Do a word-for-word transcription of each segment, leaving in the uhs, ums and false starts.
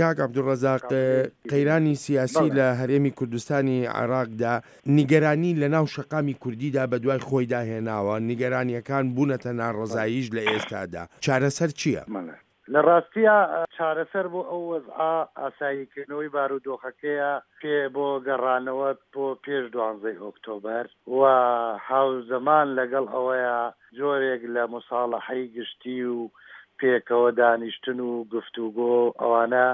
کاک عەبدولڕەزاق، قەیرانی سیاسی لە هەرێمی کوردستانی عێراقدا نیگەرانی لە ناو شەقامی کوردیدا بەدوای خۆیدا هێناوە، نیگەرانییەکان بوونەتە ناڕەزاییش لە ئێستادا، چارەسەر چییە؟ لە ڕاستیا چارەسەر بۆ ئەو وەزعە ئاساییکردنەوەی بارودۆخەکەیە پێ بۆ گەڕانەوە بۆ پێش دوانزەی ئۆکتۆبەر و هاوزەمان لەگەڵ ئەوەیا جۆرێک لە موساڵەحەی گشتی و پێکەوە دانیشتن و گفتوگۆ ئەوانە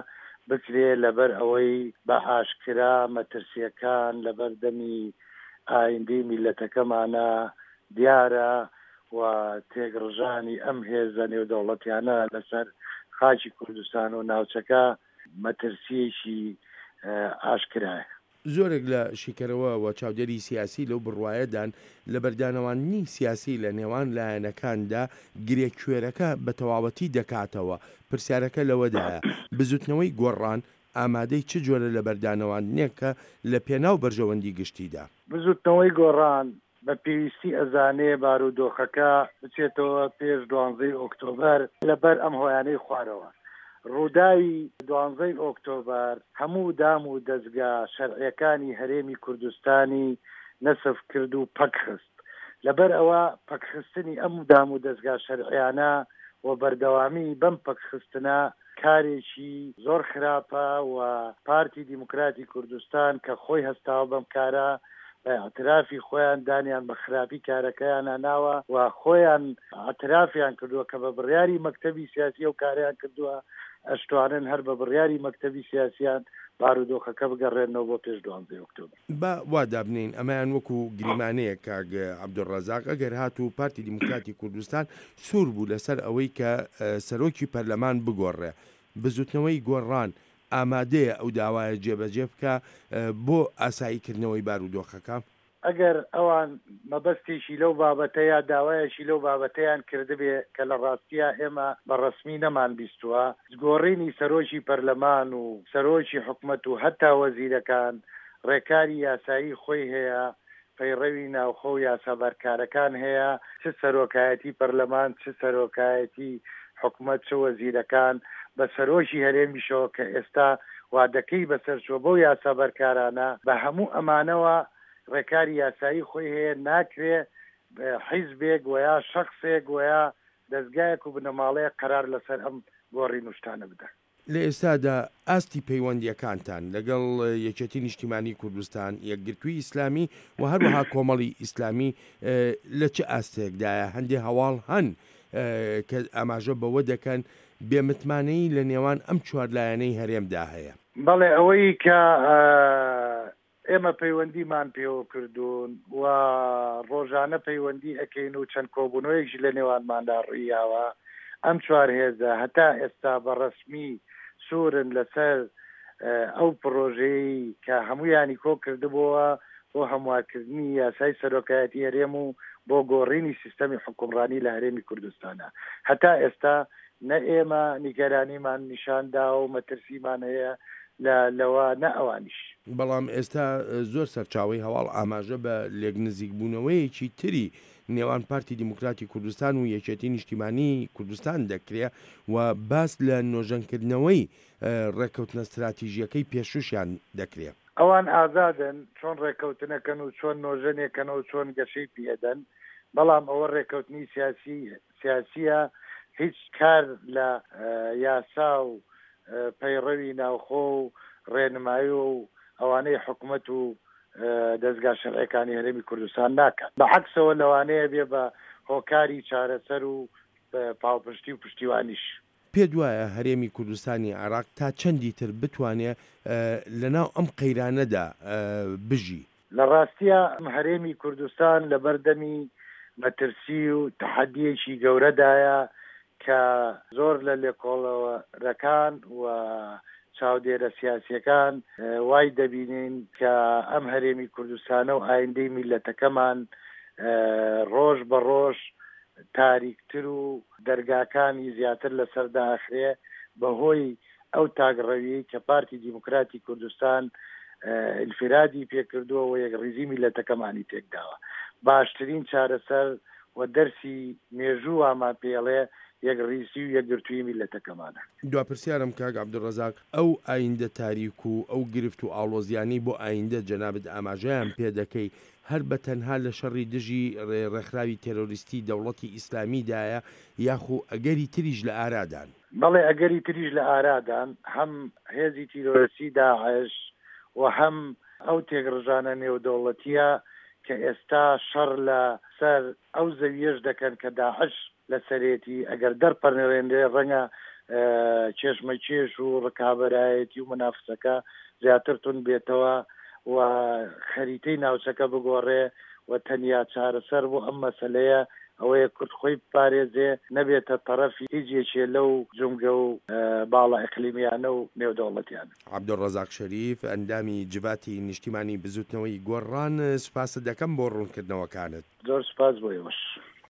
بکرێ لەبەر ئەوەی بە ئاشکرا مەترسییەکان لەبەر دەمی ئایندەی میللەتەکەمانا دیارە و تێکڕژانی ئەم هێزە نێودەوڵەتیانە لەسەر خاکی کوردستان و ناوچەکە مەترسییەکی ئاشکرایە. زۆرێک لە شیکەرەوە و چاودێری سیاسی لەو بڕوایەدان لەبەردانەواندنی سیاسی لە نێوان لایەنەکاندا گرێ کوێرەکە بە تەواوەتی دەکاتەوە، پرسیارەکە لەوەدایە بزوتنەوەی گۆڕان ئامادەی چ جۆرە لەبەردانەواندنێکە لە پێناو بەرژەوەندی گشتیدا؟ بزوتنەوەی گۆڕان بە پێویستی ئەزانێ بارودۆخەکە بچێتەوە پێش دوانزەی ئۆکتۆبەر لەبەر ئەم هۆیانەی خوارەوە. ڕووداوی دوانزەی ئۆکتۆبەر هەموو دام و دەزگا شەرعیەکانی هەرێمی کوردستانی نەسف کرد و پەک خست. لەبەر ئەوە پەکخستنی ئەم دام و دەزگا شەرعیانە و بەردەوامی بەم پەکخستنە کارێکی زۆر خراپە و پارتی دیموکراتی کوردستان کە خۆی هەستاوە بەم کارە بە ئیعترافی خۆیان دانیان بە خراپی کارەکەیانا ناوە و خۆیان ئیعترافیان کردووە کە بە بڕیاری مەکتەبی سیاسی ئەو کارەیان کردووە، ئەشتوانن هەر بە بڕیاری مەکتەبی سیاسیان بارودۆخەکە بگەڕێننەوە بۆ پێش دوانزەی ئۆکتۆبەر. با وا دابنێین ئەمەیان وەکو گریمانەیەک کاک عەبدولڕەزاق، ئەگەر هاتوو پارتی دیموکراتی کوردستان سوور بوو لەسەر ئەوەی کە سەرۆکی پەرلەمان بگۆڕێ، بزوتنەوەی گۆڕان ئامادەیە ئەو داوایە جێبەجێ بکا بۆ ئاسایی کردنەوەی بارودۆخەکە؟ ئەگەر ئەوان مەبەستێکی لەو بابەتە یا داوایەکی لەو بابەتەیان کردبێ کە لە ڕاستیا ئێمە بە ڕەسمی نەمانبیستووە، گۆڕینی سەرۆکی پەرلەمان و سەرۆکی حکومەت و هەتا وەزیرەکان ڕێکاری یاسایی خۆی هەیە، پەیڕەوی ناوخۆ و یاسا بەرکارەکان هەیە، چ سەرۆکایەتی پەرلەمان، چ سەرۆکایەتی حکومەت، چ وەزیرەکان، بە سەرۆکی هەرێمیشەوە کە ئێستا وادەکەی بەسەرچووە بەو یاسا بەرکارانە، بە هەموو ئەمانەوە ڕێکاری یاسایی خۆی هەیە، ناکرێ حیزبێک وەیا شەخسێک وەیا دەزگایەک و بنەماڵەیەک قەرار لەسەر ئەم گۆڕین و شتانە بدەن. لە ئێستادا ئاستی پەیوەندییەکانتان لەگەڵ یەکێتی نیشتیمانی کوردستان، یەکگرتووی ئیسلامی و هەروەها کۆمەڵی ئیسلامی لە چ ئاستێکدایە؟ هەندێ هەواڵ هەن کە ئاماژە بەوە دەکەن بێ متمانەیی لە نێوان ئەم چوار لایەنەی هەرێمدا هەیە. بەڵێ ئەوەی کە ئێمە پەیوەندیمان پێوە کردوون و ڕۆژانە پەیوەندی ئەکەین و چەند کۆبوونەوەیەکیش لە نێوانماندا ڕوویاوە، ئەم چوار هێزە هەتا ئێستا بە ڕەسمی سوورن لەسەر ئەو پڕۆژەیەی کە هەموویانی کۆ کردبۆوە بۆ هەموارکردنی یاسای سەرۆکایەتی هەرێم و بۆ گۆڕینی سیستەمی حوکمڕانی لە هەرێمی کوردستانا. هەتا ئێستا نە ئێمە نیگەرانیمان نیشان داوە و مەترسیمان هەیە لە لەوە نە ئەوانیش. بەڵام ئێستا زۆر سەرچاوەی هەواڵ ئاماژە بە لێکنزیکبوونەوەیەکی تری نێوان پارتی دیموکراتی کوردستان و یەکێتی نیشتیمانیی کوردستان دەکرێ و باس لە نۆژەنکردنەوەی ڕێککەوتنە ستراتیژییەکەی پێشووشیان دەکرێ. ئەوان ئازادن چۆن ڕێککەوتنەکەن و چۆن نۆژەنێکەنەوە و چۆن گەشەی پێدەن، بەڵام ئەوە ڕێککەوتنی سیاسی سیاسییە هیچ کار لە یاسا و پەیڕەوی ناوخۆ و ڕێنمایی و ئەوانەی حکومەت و دەزگا شەرعیەکانی هەرێمی کوردستان ناکات، بە عەکسەوە لەوانەیە بێ بە هۆکاری چارەسەر و پاڵپشتی و پشتیوانیش. پێت وایە هەرێمی کوردستانی عێراق تا چەندی تر بتوانێ لەناو ئەم قەیرانەدا بژی؟ لە ڕاستیا هەرێمی کوردستان لەبەردەمی مەترسی و تەحەدییەکی گەورەدایە کە زۆر لە لێکۆڵەرەکان و چاودێرە سیاسیەکان وای دەبینین کە ئەم هەرێمی کوردستانە و ئایندەی میللەتەکەمان ڕۆژ بە ڕۆژ تاریکتر و دەرگاکانی زیاتر لەسەر دائەخرێ بەهۆی ئەو تاکڕەویەی کە پارتی دیموکراتی کوردستان ئینفرادی پێکردووە و یەکڕیزیمیللەتەکەمانی تێکداوە. باشترین چارەسەر و دەرسی مێژوو وامان پێڵێ یەکڕیزی و یەکگرتوویی میللەتەکەمانە. دوا پرسیارم کاک عەبدولڕەزاق، ئەو ئایندە تاریک و ئەو گرفت و ئاڵۆزیانەی بۆ ئایندە جەنابت ئاماژەیان پێ دەکەی هەر بە تەنها لە شەڕی دژی ڕێکخراوی تێرۆریستی دەوڵەتی ئیسلامیدایە یاخو ئەگەری تریش لە ئارادان؟ بەڵێ ئەگەری تریش لە ئارادان، هەم هێزی تیرۆریستی داعش و هەم ئەو تێکڕژانە نێودەوڵەتییە کە ئێستا شەڕ لە سەر ئەو زەوییەش دەکەن کە داعش لە سەرێتی، ئەگەر دەرپەڕێنرێ ڕەنگە کێشمەکێش و ڕکابەرایەتی و مونافسەکە زیاتر توند بێتەوە و خەریتەی ناوچەکە بگۆڕێ و تەنیا چارەسەر بۆ ئەم مەسەلەیە ئەوەیە کورد خۆی بپارێزێ نەبێتە تەڕەفی هیچ یەکێ لەو جومگە و باڵە ئیقلیمیانە و نێودەوڵەتیانە. عەبدولڕەزاق شەریف، ئەندامی جڤاتی نیشتیمانی بزوتنەوەی گۆڕان، سوپاست دەکەم بۆ ڕوونکردنەوەکانت. زۆر سوپاس بۆ ئێوەش.